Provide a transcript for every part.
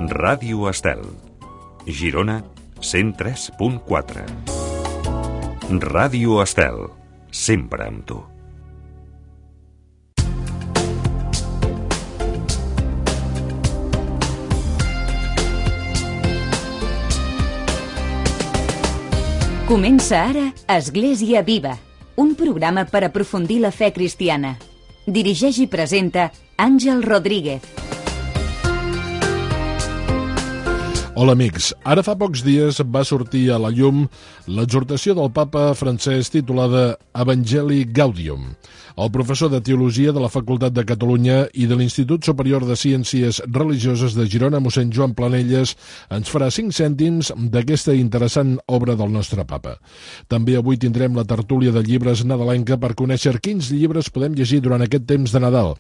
Ràdio Estel, Girona 103.4. Ràdio Estel, sempre amb tu. Comença ara Església Viva, un programa per aprofundir la fe cristiana. Dirigeix i presenta Àngel Rodríguez. Hola amics, ara fa pocs dies va sortir a la llum l'exhortació del papa Francesc titulada Evangelii Gaudium. El professor de Teologia de la Facultat de Catalunya i de l'Institut Superior de Ciències Religioses de Girona, mossèn Joan Planelles, ens farà 5 cèntims d'aquesta interessant obra del nostre papa. També avui tindrem la tertúlia de llibres nadalenca per conèixer quins llibres podem llegir durant aquest temps de Nadal,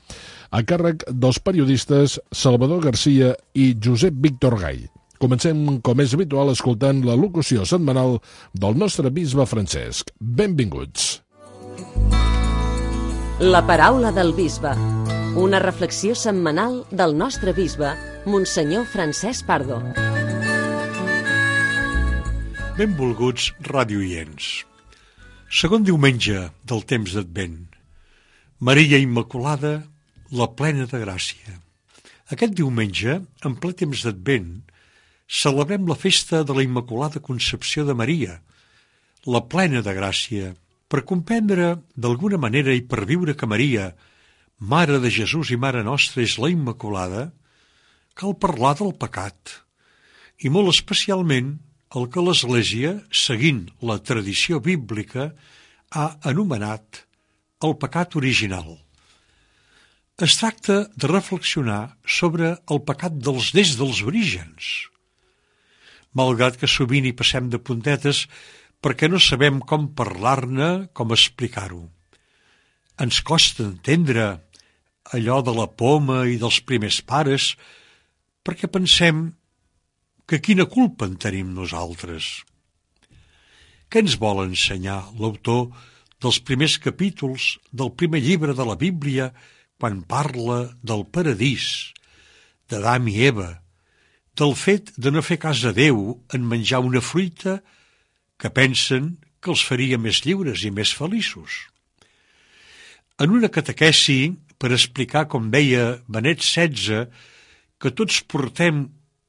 a càrrec dels periodistes Salvador Garcia i Josep Víctor Gall. Comencem, com és habitual, escoltant la locució setmanal del nostre bisbe Francesc. Benvinguts. La paraula del bisbe. Una reflexió setmanal del nostre bisbe, Monsenyor Francesc Pardo. Benvolguts radioients. Segon diumenge del temps d'Advent. Maria Immaculada, la plena de gràcia. Aquest diumenge, en ple temps d'Advent, celebrem la festa de la Immaculada Concepció de Maria, la plena de gràcia. Per comprendre d'alguna manera i per viure que Maria, Mare de Jesús i Mare nostra, és la Immaculada, cal parlar del pecat, i molt especialment el que l'Església, seguint la tradició bíblica, ha anomenat el pecat original. Es tracta de reflexionar sobre el pecat des dels orígens, malgrat que sovint hi passem de puntetes perquè no sabem com parlar-ne, com explicar-ho. Ens costa entendre allò de la poma i dels primers pares perquè pensem que quina culpa en tenim nosaltres. Què ens vol ensenyar l'autor dels primers capítols del primer llibre de la Bíblia quan parla del paradís, d'Adam i Eva, del fet de no fer cas a Déu en menjar una fruita que pensen que els faria més lliures i més feliços? En una catequesi per explicar, com deia Benet XVI, que tots portem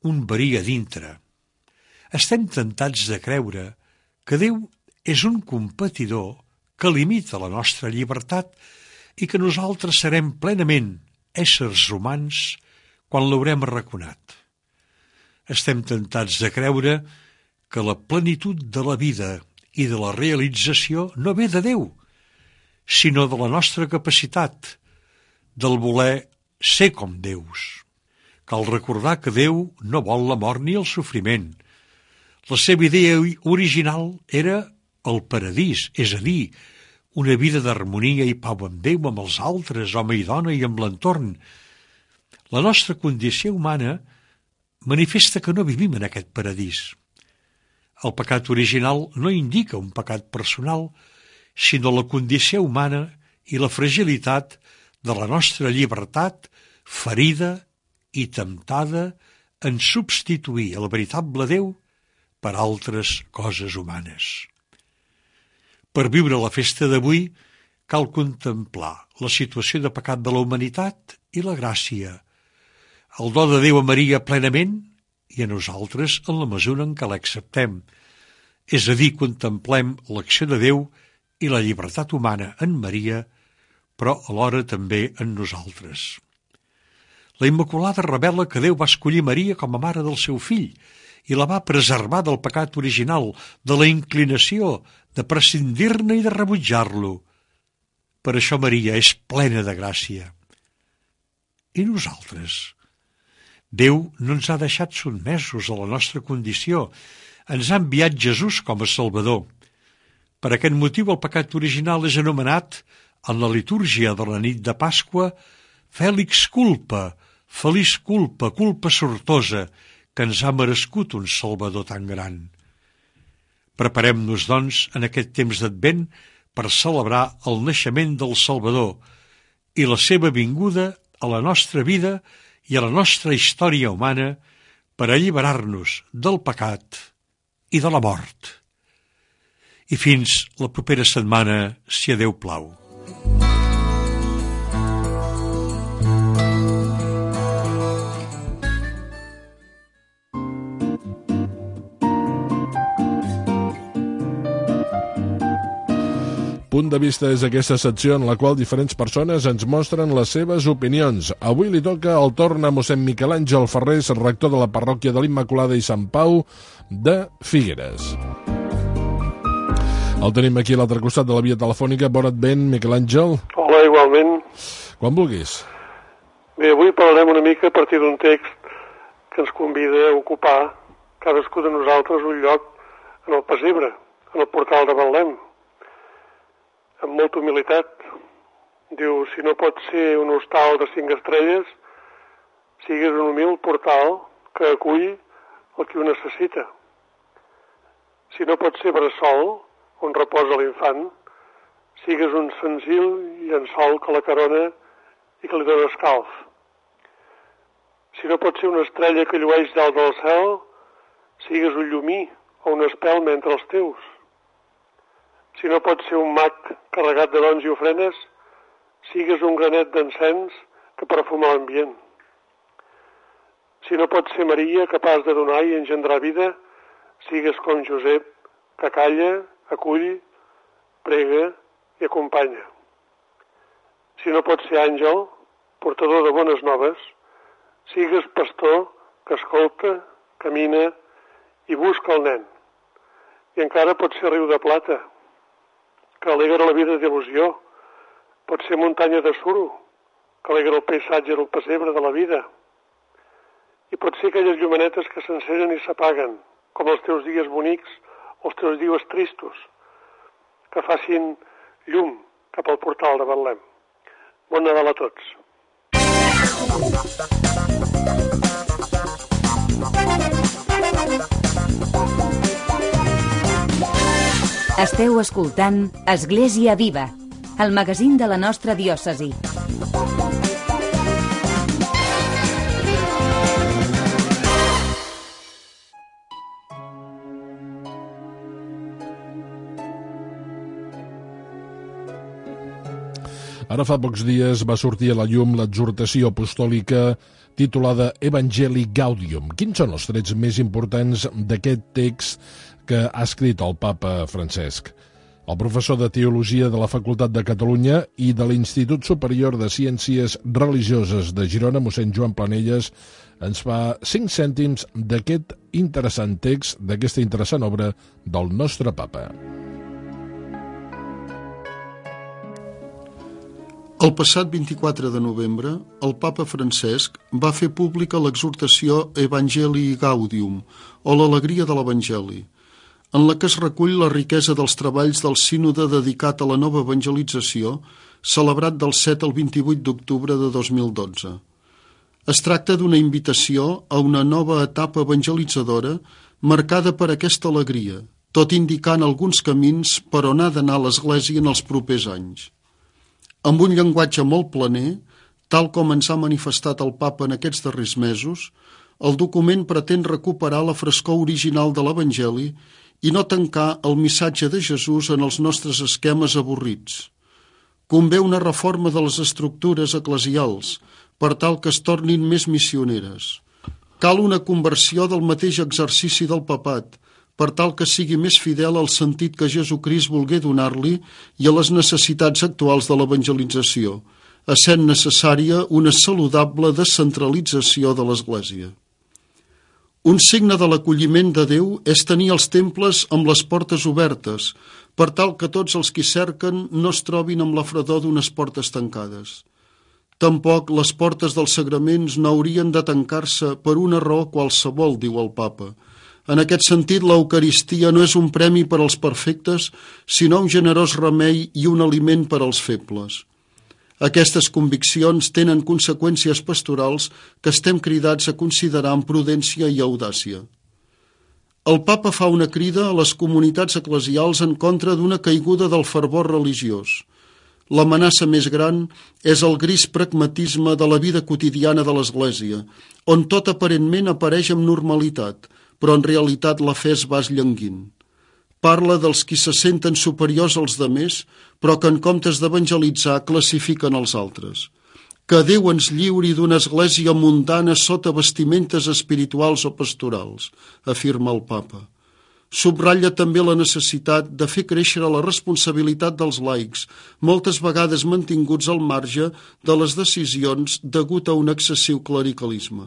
un verí a dintre, estem tentats de creure que Déu és un competidor que limita la nostra llibertat i que nosaltres serem plenament éssers humans quan l'haurem arraconat. Estem tentats de creure que la plenitud de la vida i de la realització no ve de Déu, sinó de la nostra capacitat, del voler ser com Déus. Cal recordar que Déu no vol la mort ni el sofriment. La seva idea original era el paradís, és a dir, una vida d'harmonia i pau amb Déu, amb els altres, home i dona, i amb l'entorn. La nostra condició humana manifesta que no vivim en aquest paradís. El pecat original no indica un pecat personal, sinó la condició humana i la fragilitat de la nostra llibertat ferida i temptada en substituir el veritable Déu per altres coses humanes. Per viure la festa d'avui cal contemplar la situació de pecat de la humanitat i la gràcia, el do de Déu a Maria plenament i a nosaltres en la mesura en què l'acceptem, és a dir, contemplem l'acció de Déu i la llibertat humana en Maria, però alhora també en nosaltres. La Immaculada revela que Déu va escollir Maria com a mare del seu fill i la va preservar del pecat original, de la inclinació de prescindir-ne i de rebutjar-lo. Per això Maria és plena de gràcia. I nosaltres? Déu no ens ha deixat sotmesos a la nostra condició, ens ha enviat Jesús com a Salvador. Per aquest motiu el pecat original és anomenat, en la litúrgia de la nit de Pasqua, Fèlix culpa, feliç culpa, culpa sortosa, que ens ha merescut un Salvador tan gran. Preparem-nos, doncs, en aquest temps d'Advent per celebrar el naixement del Salvador i la seva vinguda a la nostra vida i a la nostra història humana per alliberar-nos del pecat i de la mort. I fins la propera setmana, si a Déu plau. Punt de vista és aquesta secció en la qual diferents persones ens mostren les seves opinions. Avui li toca el torn a mossèn Miquel Àngel Ferrés, rector de la parròquia de l'Immaculada i Sant Pau de Figueres. El tenim aquí a l'altre costat de la via telefònica. Bon advent, Miquel Àngel. Hola, igualment. Quan vulguis. Bé, avui parlarem una mica a partir d'un text que ens convida a ocupar cadascú de nosaltres un lloc en el pessebre, en el portal de Betlem. Amb molta humilitat. Diu, si no pot ser un hostal de 5 estrelles, sigues un humil portal que acull el qui ho necessita. Si no pot ser bressol, on reposa l'infant, sigues un senzill llençol que la carona i que li dona escalf. Si no pot ser una estrella que llueix dalt del cel, sigues un llumí o un espelma entre els teus. Si no pot ser un mag carregat de dons i ofrenes, sigues un granet d'encens que perfuma l'ambient. Si no pot ser Maria, capaç de donar i engendrar vida, sigues com Josep, que calla, acull, prega i acompanya. Si no pot ser àngel, portador de bones noves, sigues pastor que escolta, camina i busca el nen. I encara pot ser riu de plata, que alegra la vida d'il·lusió. Pot ser muntanya de suro, que alegra el paisatge del pessebre de la vida. I pot ser aquelles llumenetes que s'encenen i s'apaguen, com els teus dies bonics o els teus dies tristos, que facin llum cap al portal de Betlem. Bon Nadal a tots. Esteu escoltant Església Viva, el magazín de la nostra diòcesi. Ara fa pocs dies va sortir a la llum l'exhortació apostòlica titulada Evangelii Gaudium. Quins són els trets més importants d'aquest text que ha escrit el papa Francesc? El professor de Teologia de la Facultat de Catalunya i de l'Institut Superior de Ciències Religioses de Girona, mossèn Joan Planelles, ens fa 5 cèntims d'aquest interessant text, d'aquesta interessant obra del nostre papa. El passat 24 de novembre, el papa Francesc va fer pública l'exhortació Evangelii Gaudium, o l'alegria de l'Evangeli, en la que es recull la riquesa dels treballs del sínode dedicat a la nova evangelització, celebrat del 7 al 28 d'octubre de 2012. Es tracta d'una invitació a una nova etapa evangelitzadora marcada per aquesta alegria, tot indicant alguns camins per on ha d'anar l'Església en els propers anys. Amb un llenguatge molt planer, tal com ens ha manifestat el papa en aquests darrers mesos, el document pretén recuperar la frescor original de l'Evangeli i no tancar el missatge de Jesús en els nostres esquemes avorrits. Convé una reforma de les estructures eclesials per tal que es tornin més missioneres. Cal una conversió del mateix exercici del papat, per tal que sigui més fidel al sentit que Jesucrist volgué donar-li i a les necessitats actuals de l'evangelització, essent necessària una saludable descentralització de l'Església. Un signe de l'acolliment de Déu és tenir els temples amb les portes obertes, per tal que tots els qui cerquen no es trobin amb la fredor d'unes portes tancades. Tampoc les portes dels sagraments no haurien de tancar-se per una raó qualsevol, diu el papa. En aquest sentit, l'Eucaristia no és un premi per als perfectes, sinó un generós remei i un aliment per als febles. Aquestes conviccions tenen conseqüències pastorals que estem cridats a considerar amb prudència i audàcia. El papa fa una crida a les comunitats eclesials en contra d'una caiguda del fervor religiós. L'amenaça més gran és el gris pragmatisme de la vida quotidiana de l'Església, on tot aparentment apareix amb normalitat, però en realitat la fe es va esllanguint. Parla dels qui se senten superiors als demés, però que en comptes d'evangelitzar classifiquen els altres. Que Déu ens lliuri d'una església mundana sota vestimentes espirituals o pastorals, afirma el papa. Subratlla també la necessitat de fer créixer la responsabilitat dels laics, moltes vegades mantinguts al marge de les decisions degut a un excessiu clericalisme.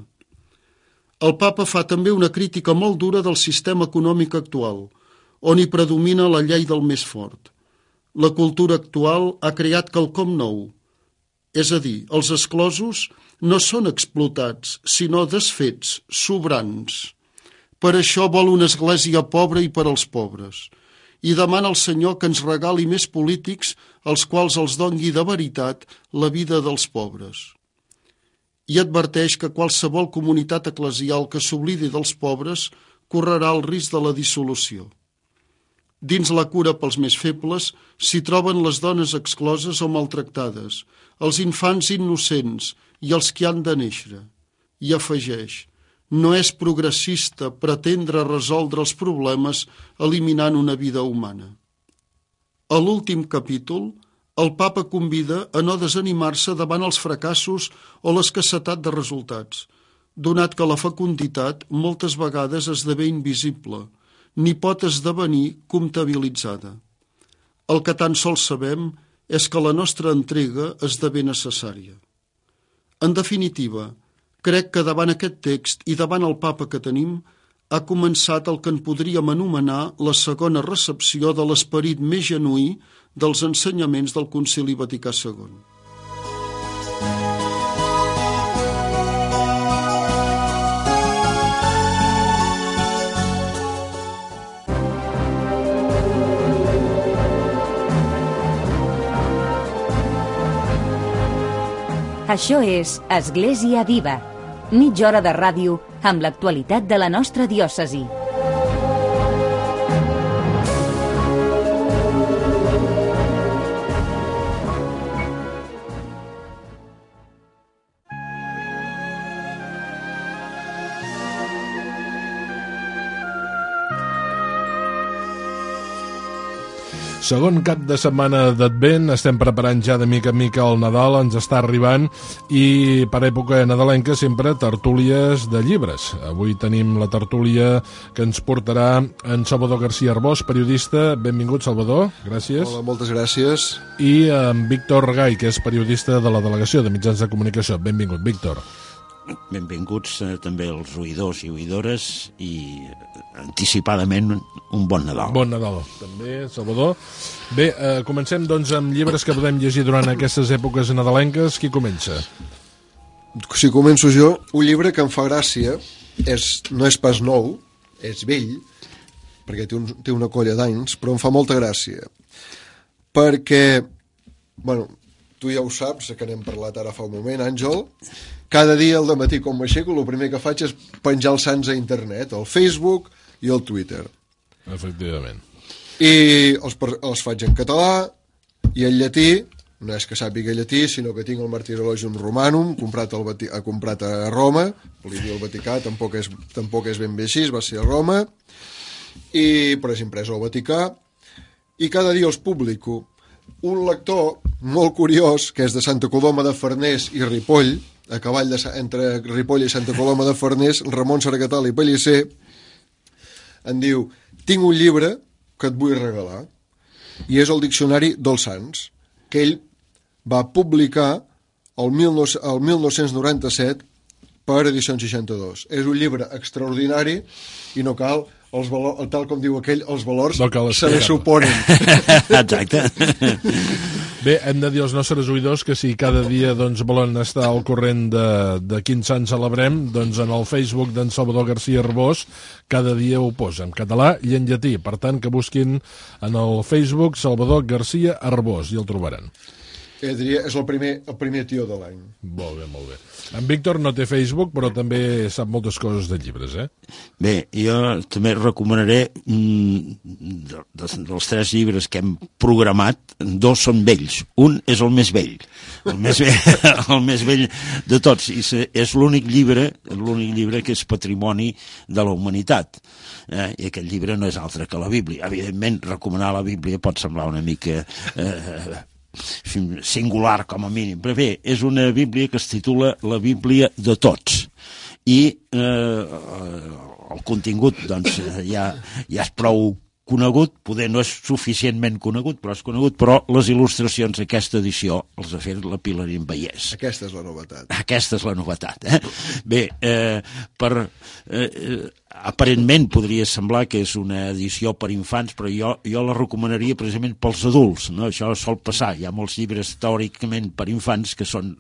El papa fa també una crítica molt dura del sistema econòmic actual, on hi predomina la llei del més fort. La cultura actual ha creat quelcom nou, és a dir, els exclosos no són explotats, sinó desfets, sobrants. Per això vol una església pobra i per als pobres, i demana al Senyor que ens regali més polítics als quals els dongui de veritat la vida dels pobres. I adverteix que qualsevol comunitat eclesial que s'oblidi dels pobres correrà el risc de la dissolució. Dins la cura pels més febles s'hi troben les dones excloses o maltractades, els infants innocents i els que han de néixer. I afegeix: no és progressista pretendre resoldre els problemes eliminant una vida humana. A l'últim capítol, el papa convida a no desanimar-se davant els fracassos o l'escassetat de resultats, donat que la fecunditat moltes vegades esdevé invisible, ni pot esdevenir comptabilitzada. El que tan sols sabem és que la nostra entrega esdevé necessària. En definitiva, crec que davant aquest text i davant el papa que tenim, ha començat el que en podríem anomenar la segona recepció de l'esperit més genuí dels ensenyaments del Concili Vaticà II. Això és Església Viva, mitja hora de ràdio amb l'actualitat de la nostra diòcesi. Segon cap de setmana d'Advent, estem preparant ja de mica en mica el Nadal, ens està arribant, i per època nadalenca sempre tertúlies de llibres. Avui tenim la tertúlia que ens portarà en Salvador García Arbós, periodista. Benvingut, Salvador, gràcies. Hola, moltes gràcies. I en Víctor Gai, que és periodista de la Delegació de Mitjans de Comunicació. Benvingut, Víctor. Benvinguts també els oïdors i oïdores i anticipadament un bon Nadal. Bon Nadal, també, Salvador. Bé, comencem doncs amb llibres que podem llegir durant aquestes èpoques nadalenques. Qui comença? Si començo jo, un llibre que em fa gràcia, no és pas nou, és vell, perquè té una colla d'anys, però em fa molta gràcia. Perquè, bueno, tu ja ho saps, que n'hem parlat ara fa un moment, Àngel, cada dia al dematí quan m'aixeco el primer que faig és penjar els sants a internet, al Facebook i al Twitter. Efectivament. I els faig en català i en llatí, no és que sàpiga llatí, sinó que tinc el Martyrologium Romanum, comprat a Roma, volia dir el Vaticà, tampoc és ben bé així, va ser a Roma, però és imprès al Vaticà, i cada dia els publico. Un lector molt curiós, que és de Santa Coloma de Farners i Ripoll, a cavall entre Ripoll i Santa Coloma de Farners, Ramon Sargatal i Pellicer, em diu: tinc un llibre que et vull regalar, i és el Diccionari dels Sants, que ell va publicar el 1997 per Edicions 62. És un llibre extraordinari i no cal, tal com diu aquell, els valors no se li suponen. Exacte. Bé, hem de dir als nostres oïdors que si cada dia doncs, volen estar al corrent de quin sant celebrem, doncs en el Facebook d'en Salvador García Arbós cada dia ho posa en català i en llatí. Per tant, que busquin en el Facebook Salvador García Arbós i el trobaran. diria, és el primer tio de l'any. Molt bé, molt bé. En Víctor no té Facebook, però també sap moltes coses de llibres, eh? Bé, jo també recomanaria dels 3 llibres que hem programat, 2 són vells. Un és el més vell, el més vell de tots, i és l'únic llibre que és patrimoni de la humanitat. I aquest llibre no és altre que la Bíblia. Evidentment, recomanar la Bíblia pot semblar una mica singular com a mínim, però bé, és una Bíblia que es titula La Bíblia de Tots, i el contingut doncs ja és prou conegut, poder no és suficientment conegut, però és conegut, però les il·lustracions d'aquesta edició els ha fet la Pilarín Vallès. Aquesta és la novetat. Aquesta és la novetat, eh? Bé, aparentment podria semblar que és una edició per infants, però jo la recomanaria precisament pels adults, no? Això sol passar, hi ha molts llibres teòricament per infants que són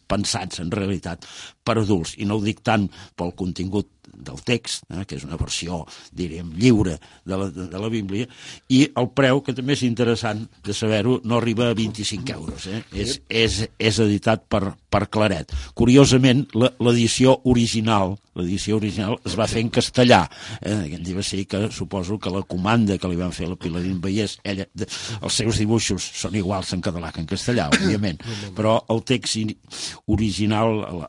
pensats en realitat per adults, i no ho dic tant pel contingut del text, que és una versió, diríem, lliure de la Bíblia, i el preu, que també és interessant de saber-ho, no arriba a 25 euros, eh? És editat per Claret. Curiosament, l'edició original es va fer en castellà. Aquest llibre sí que suposo que la comanda que li van fer a la Pilarín Vallès, els seus dibuixos són iguals en català que en castellà, òbviament, però el text original,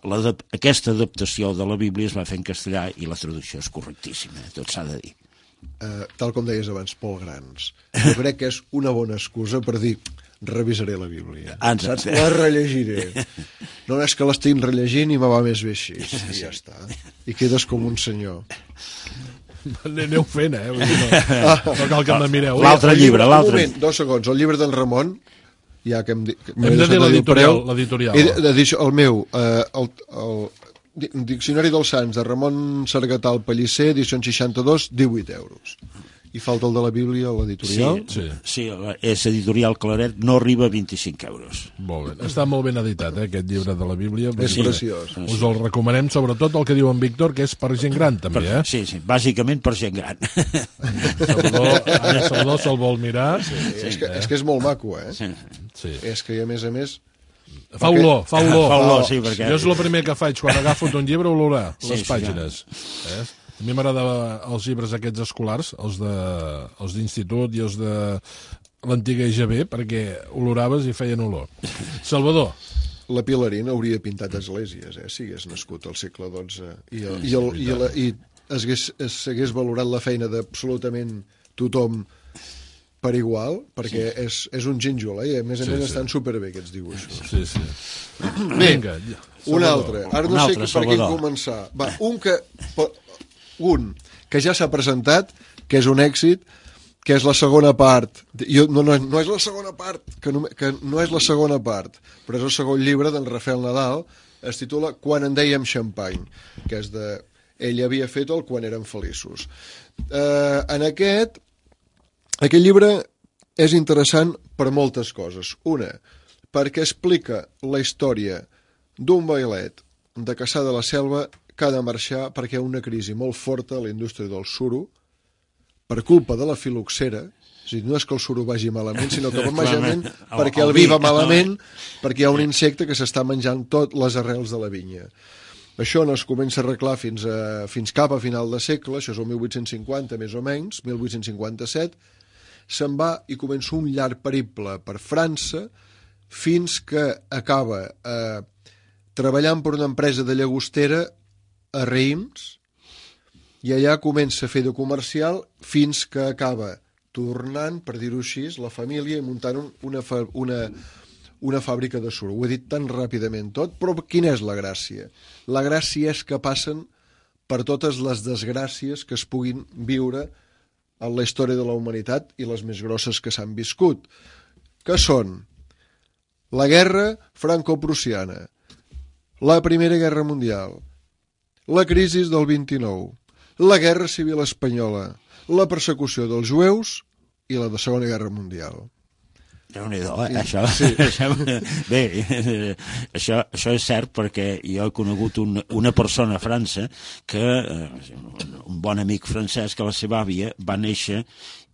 aquesta adaptació de la Bíblia es va fer en castellà i la traducció és correctíssima, tot s'ha de dir. Tal com deies abans, Pol Grans, jo crec que és una bona excusa per dir revisaré la Bíblia. Saps? La rellegiré. No és que l'estic rellegint i me va més bé així. I ja està. I quedes com un senyor. Aneu fent, eh? No cal que me mireu. L'altre llibre, l'altre. Un moment, 2 segons. El llibre d'en Ramon, ja que hem de dir l'editorial. El meu, el Diccionari dels Sants de Ramon Sargatal Pellicer, edició 62, 18 euros. I falta el de la Bíblia o l'editorial? Sí, és editorial Claret, no arriba a 25 euros. Molt bé. Està molt ben editat, aquest llibre de la Bíblia. És preciós. Us el recomanem, sobretot el que diu en Víctor, que és per gent gran, també, eh? Sí, bàsicament per gent gran. Salvador se'l vol mirar. És que és molt maco, eh? Sí. És que, a més, fa olor. Sí, perquè... Jo és el primer que faig quan agafo un llibre, olorar les pàgines. A mi m'agradaven els llibres aquests escolars, els d'institut i els de l'antiga EGB, perquè oloraves i feien olor. Salvador. La Pilarín hauria pintat esglésies, si hagués nascut al segle XII i s'hagués valorat la feina d'absolutament tothom per igual, perquè és un gínjol, i a més estan superbé aquests dibuixos. Sí. Vinga, un altre. Ara no sé per quin començar. Va, un que ja s'ha presentat, que és un èxit, que és la segona part. No és la segona part, que no és la segona part, però és el segon llibre d'en Rafael Nadal, es titula Quan en dèiem xampany, que és de... Ell havia fet el Quan érem feliços. En aquest llibre és interessant per moltes coses. Una, perquè explica la història d'un bailet de Cassà de la Selva que ha de marxar perquè hi ha una crisi molt forta a la indústria del suro per culpa de la filoxera. És a dir, no és que el suro vagi malament, sinó que va malament perquè el vi va malament, perquè hi ha un insecte que s'està menjant tot les arrels de la vinya. Això no es comença a arreglar fins cap a final de segle, això és el 1850 més o menys, 1857, se'n va i comença un llarg periple per França fins que acaba treballant per una empresa de llagostera a Reims, i allà comença a fer de comercial fins que acaba tornant, per dir-ho així, la família i muntant una fàbrica de suro. Ho he dit tan ràpidament tot, però quina és la gràcia? La gràcia és que passen per totes les desgràcies que es puguin viure en la història de la humanitat i les més grosses que s'han viscut, que són la guerra franco-prussiana, la Primera Guerra Mundial, la crisi del 29, la Guerra Civil Espanyola, la persecució dels jueus i la de Segona Guerra Mundial. Déu-n'hi-do, això. Sí. Bé, això és cert perquè jo he conegut una persona a França que, un bon amic francès, que la seva àvia va néixer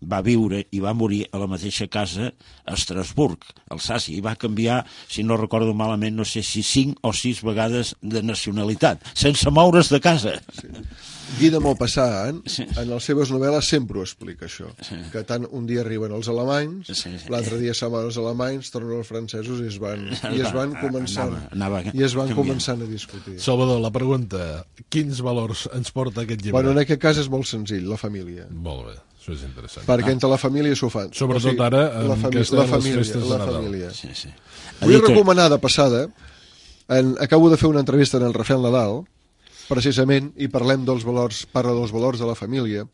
va viure i va morir a la mateixa casa a Estrasburg, Alsàcia, i va canviar, si no recordo malament, no sé si 5 o 6 vegades de nacionalitat, sense moure's de casa. Sí. Guy de Maupassant, en les seves novel·les sempre ho explica, això. Que tant un dia arriben els alemanys, l'altre dia se'n van els alemanys, tornen els francesos i es van començant a discutir. Salvador, la pregunta, quins valors ens porta aquest llibre? Bueno, en aquest cas és molt senzill, la família. Molt bé, això és interessant. Perquè entre la família s'ho fan. Sobretot ara, en les festes de Nadal. Vull recomanar de passada, acabo de fer una entrevista en el Rafael Nadal, precisament, i parla dels valors de la família,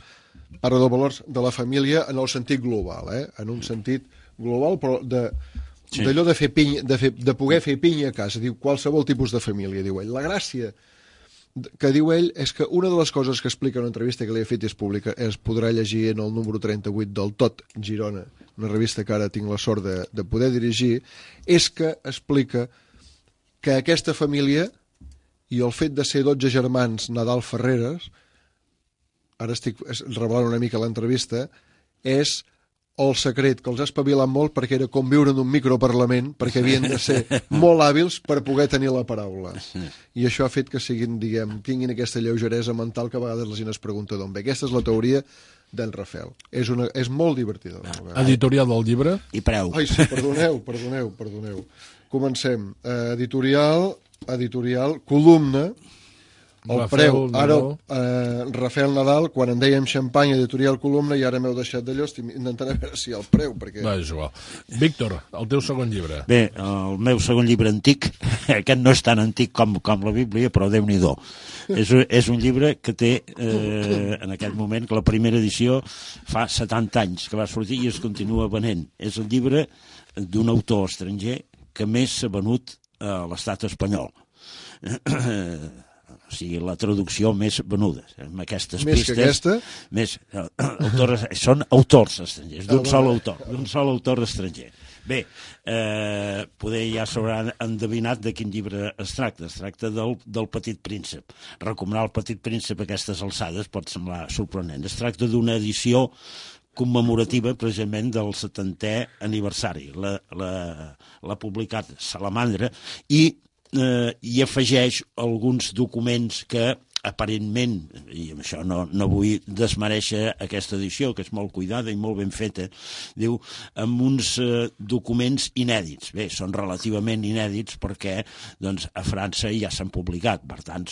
parla dels valors de la família en el sentit global, en un sentit global, però d'allò de fer pinya, de poder fer pinya a casa, diu, qualsevol tipus de família, diu ell. La gràcia que diu ell és que una de les coses que explica en una entrevista que li he fet és pública, es podrà llegir en el número 38 del Tot Girona, una revista que ara tinc la sort de poder dirigir, és que explica que aquesta família i el fet de ser 12 germans Nadal Ferreres, ara estic revelant una mica l'entrevista, és el secret que els ha espavilat molt perquè era com viure en un microparlament, perquè havien de ser molt hàbils per poder tenir la paraula. I això ha fet que tinguin aquesta lleugeresa mental que a vegades la gent es pregunta d'on ve. Aquesta és la teoria d'en Rafael. És molt divertida. Editorial del llibre? I preu. Ai, sí, perdoneu. Comencem. Editorial, columna, el preu, ara Rafael Nadal, quan en dèiem xampany, editorial, columna, i ara m'heu deixat d'allò, estic intentant a veure si el preu, perquè... Va, és igual. Víctor, el teu segon llibre. Bé, el meu segon llibre antic, aquest no és tan antic com la Bíblia, però Déu-n'hi-do. És un llibre que té, en aquest moment, que la primera edició fa 70 anys que va sortir i es continua venent. És el llibre d'un autor estranger que més s'ha venut a l'estat espanyol. O sigui, la traducció més venuda. Amb aquestes més pistes... Més que aquesta? Són autors estrangers, d'un sol autor estranger. Bé, poder ja s'hauran endevinat de quin llibre es tracta. Es tracta del Petit Príncep. Recomanar el Petit Príncep a aquestes alçades pot semblar sorprenent. Es tracta d'una edició commemorativa precisament del 70è aniversari. L'ha publicat Salamandra i afegeix alguns documents que aparentment, i amb això no vull desmereixer aquesta edició, que és molt cuidada i molt ben feta, diu, amb uns documents inèdits. Bé, són relativament inèdits perquè doncs, a França ja s'han publicat, per tant,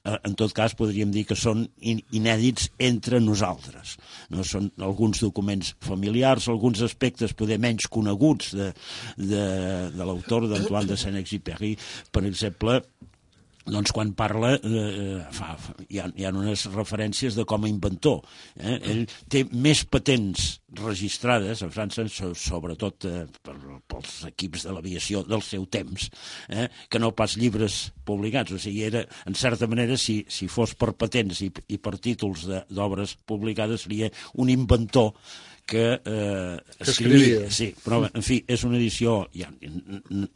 en tot cas podríem dir que són inèdits entre nosaltres. No? Són alguns documents familiars, alguns aspectes poder menys coneguts de l'autor d'Antoine de Saint-Exupéry, per exemple, doncs quan parla hi ha unes referències de com a inventor. Ell té més patents registrades a França, sobretot pels equips de l'aviació del seu temps, que no pas llibres publicats. O sigui, era, en certa manera, si fos per patents i per títols d'obres publicades, seria un inventor que escrivia. Sí, però, en fi, és una edició,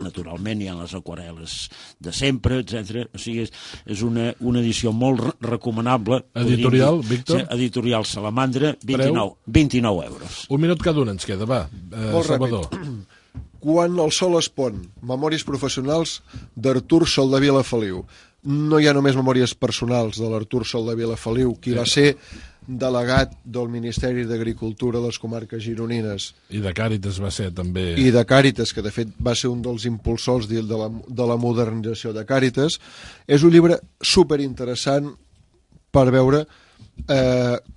naturalment hi ha les aquarel·les de sempre, etc. O sigui, és una edició molt recomanable. Editorial, Víctor? Sí, editorial Salamandra, 29 euros. Un minut cada un ens queda, va. Salvador. Quan el sol es pon, memòries professionals d'Artur Soldevila Feliu. No hi ha només memòries personals de l'Artur Soldevila Feliu, qui va ser delegat del Ministeri d'Agricultura de les comarques gironines. I de Càritas va ser també... I de Càritas, que de fet va ser un dels impulsors de la modernització de Càritas. És un llibre superinteressant per veure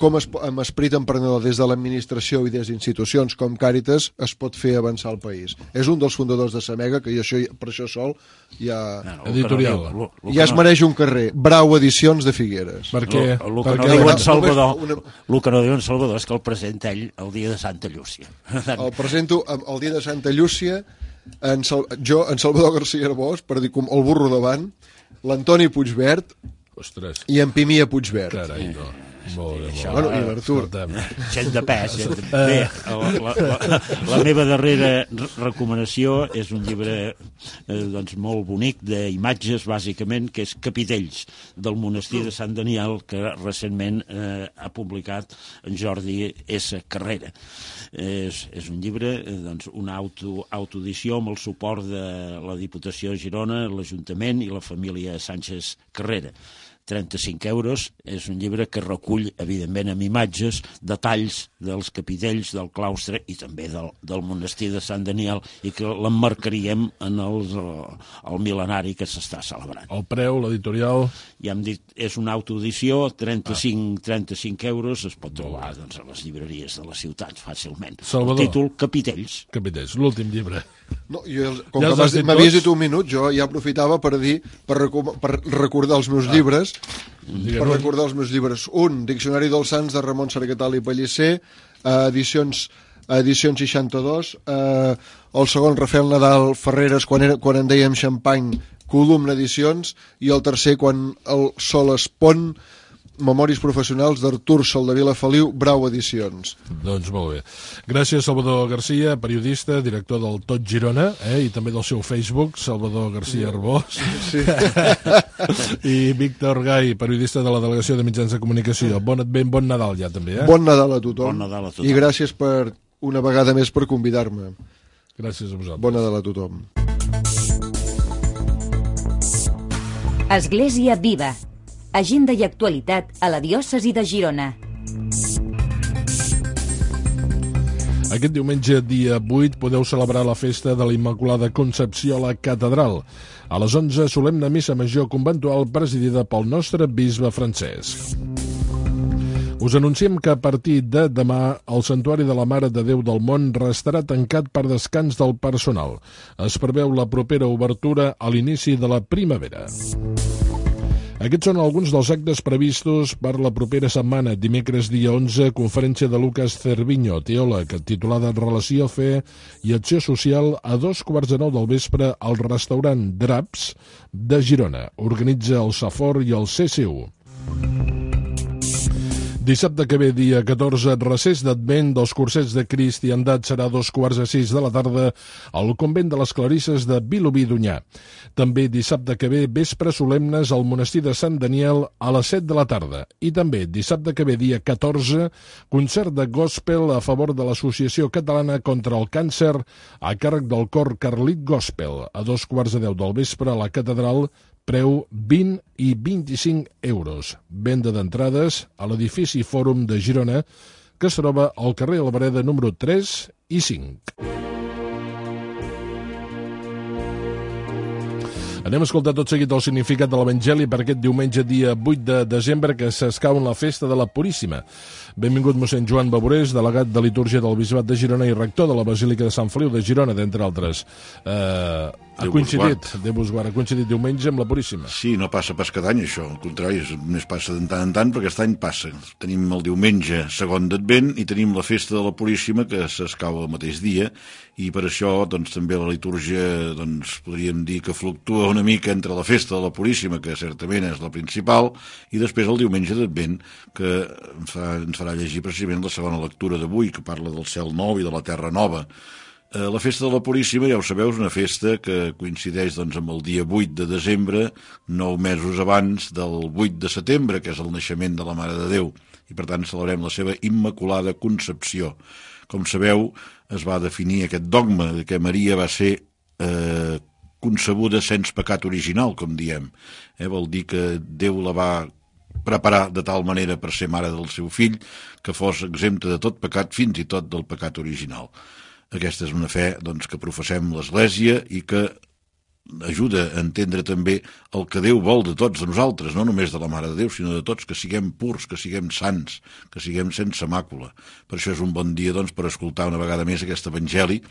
com amb esperit emprenedor des de l'administració i des d'institucions com Càritas es pot fer avançar el país. És un dels fundadors de Samega, que per això sol ja... Editorial. Ja es mereix un carrer. Brau Edicions de Figueres. Per què? El que no diu en Salvador és que el presenta ell el dia de Santa Llúcia. El presento el dia de Santa Llúcia, en Salvador García Arbós, per dir com el burro davant, l'Antoni Puigverd i en Pimia Puigverd. Carai, no. Molt bé, Això, Bueno, i l'Artur. Gent de pes. Bé, la meva darrera recomanació és un llibre doncs, molt bonic d'imatges, bàsicament, que és Capitells, del monestir de Sant Daniel, que recentment ha publicat en Jordi S. Carrera. És un llibre, doncs, una autoedició amb el suport de la Diputació de Girona, l'Ajuntament i la família Sánchez Carrera. 35 euros, és un llibre que recull, evidentment, amb imatges, detalls dels capitells del claustre i també del monestir de Sant Daniel, i que l'emmarcaríem en el mil·lenari que s'està celebrant. El preu, l'editorial... Ja hem dit, és una autoedició, 35 euros, es pot trobar doncs, a les llibreries de la ciutat fàcilment. Salvador. El títol, Capitells. Capitells, l'últim llibre. No, com Ja que m'havies dit un minut, jo ja aprofitava per recordar els meus llibres. Un, Diccionari dels Sants, de Ramon Sargatal i Pellicer, edicions 62, el segon, Rafael Nadal Ferreres, quan en dèiem Xampany, Columna Edicions, i el tercer, quan el sol es pon, Memòries professionals d'Artur Soldevila Feliu, Brau Edicions. Doncs molt bé. Gràcies, Salvador Garcia, periodista, director del Tot Girona, i també del seu Facebook, Salvador Garcia Arbós. Sí. I Víctor Gai, periodista de la Delegació de Mitjans de Comunicació. Bon Advent, bon Nadal ja també, Bon Nadal a tothom. Bon Nadal a tothom. I gràcies per una vegada més per convidar-me. Gràcies a vosaltres. Bon Nadal a tothom. Església Viva. Agenda i actualitat a la diòcesi de Girona. Aquest diumenge, dia 8, podeu celebrar la festa de la Immaculada Concepció a la Catedral. A les 11, solemne missa major conventual presidida pel nostre bisbe Francesc. Us anunciem que a partir de demà el Santuari de la Mare de Déu del Món restarà tancat per descans del personal. Es preveu la propera obertura a l'inici de la primavera. Aquests són alguns dels actes previstos per la propera setmana. Dimecres, dia 11, conferència de Lucas Cerviño, teòleg, titulada Relació, Fe i Acció Social, a 2:15 del vespre al restaurant Draps de Girona. Organitza el Safor i el CCU. Dissabte que ve, dia 14, recés d'Advent dels cursets de Cristiandat, serà a 5:15 de la tarda al convent de les Clarisses de Vilobí d'Onyar. També dissabte que ve, vespre solemnes al monestir de Sant Daniel a les 7 de la tarda. I també dissabte que ve, dia 14, concert de gospel a favor de l'Associació Catalana contra el Càncer a càrrec del cor Carlit Gospel a 2:10 del vespre a la catedral. Preu 20 i 25 euros. Venda d'entrades a l'edifici Fòrum de Girona, que es troba al carrer Albareda número 3 i 5. Anem a escoltar tot seguit el significat de l'Evangeli per aquest diumenge, dia 8 de desembre, que s'escau en la festa de la Puríssima. Benvingut mossèn Joan Baborés, delegat de litúrgia del Bisbat de Girona i rector de la Basílica de Sant Feliu de Girona, d'entre altres. Ha coincidit diumenge amb la Puríssima. Sí, no passa pas cada any això, al contrari, només passa de tant en tant, perquè aquest any passa. Tenim el diumenge segon d'Advent i tenim la festa de la Puríssima, que s'escau el mateix dia, i per això doncs, també la litúrgia podríem dir que fluctua una mica entre la festa de la Puríssima, que certament és la principal, i després el diumenge d'Advent, que ens farà llegir precisament la segona lectura d'avui, que parla del cel nou i de la terra nova. La festa de la Puríssima, ja ho sabeu, és una festa que coincideix amb el dia 8 de desembre, 9 mesos abans del 8 de setembre, que és el naixement de la Mare de Déu, i per tant celebrem la seva Immaculada Concepció. Com sabeu, es va definir aquest dogma de que Maria va ser concebuda sense pecat original, com diem. Vol dir que Déu la va preparar de tal manera per ser mare del seu fill que fos exempta de tot pecat, fins i tot del pecat original. Aquesta és una fe que professem l'Església i que ajuda a entendre també el que Déu vol de tots de nosaltres, no només de la Mare de Déu, sinó de tots, que siguem purs, que siguem sants, que siguem sense màcula. Per això és un bon dia per escoltar una vegada més aquest Evangeli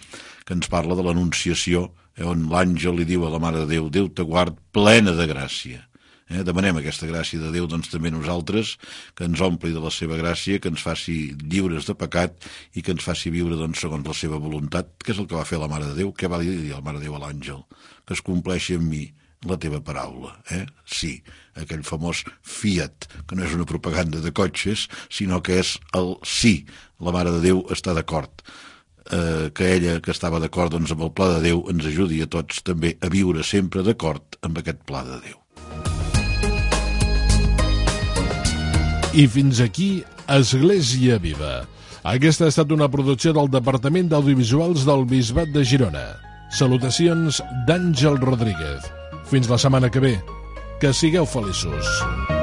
que ens parla de l'Anunciació, on l'àngel li diu a la Mare de Déu: Déu te guard plena de gràcia. Demanem aquesta gràcia de Déu també nosaltres, que ens ompli de la seva gràcia, que ens faci lliures de pecat i que ens faci viure segons la seva voluntat, que és el que va fer la Mare de Déu. Què va dir la Mare de Déu a l'àngel? Que es compleixi en mi la teva paraula. Sí, aquell famós Fiat, que no és una propaganda de cotxes, sinó que és el sí. La Mare de Déu està d'acord. Que ella, que estava d'acord amb el pla de Déu, ens ajudi a tots també a viure sempre d'acord amb aquest pla de Déu. I fins aquí Església Viva. Aquesta ha estat una producció del Departament d'Audiovisuals del Bisbat de Girona. Salutacions d'Àngel Rodríguez. Fins la setmana que ve. Que sigueu feliços.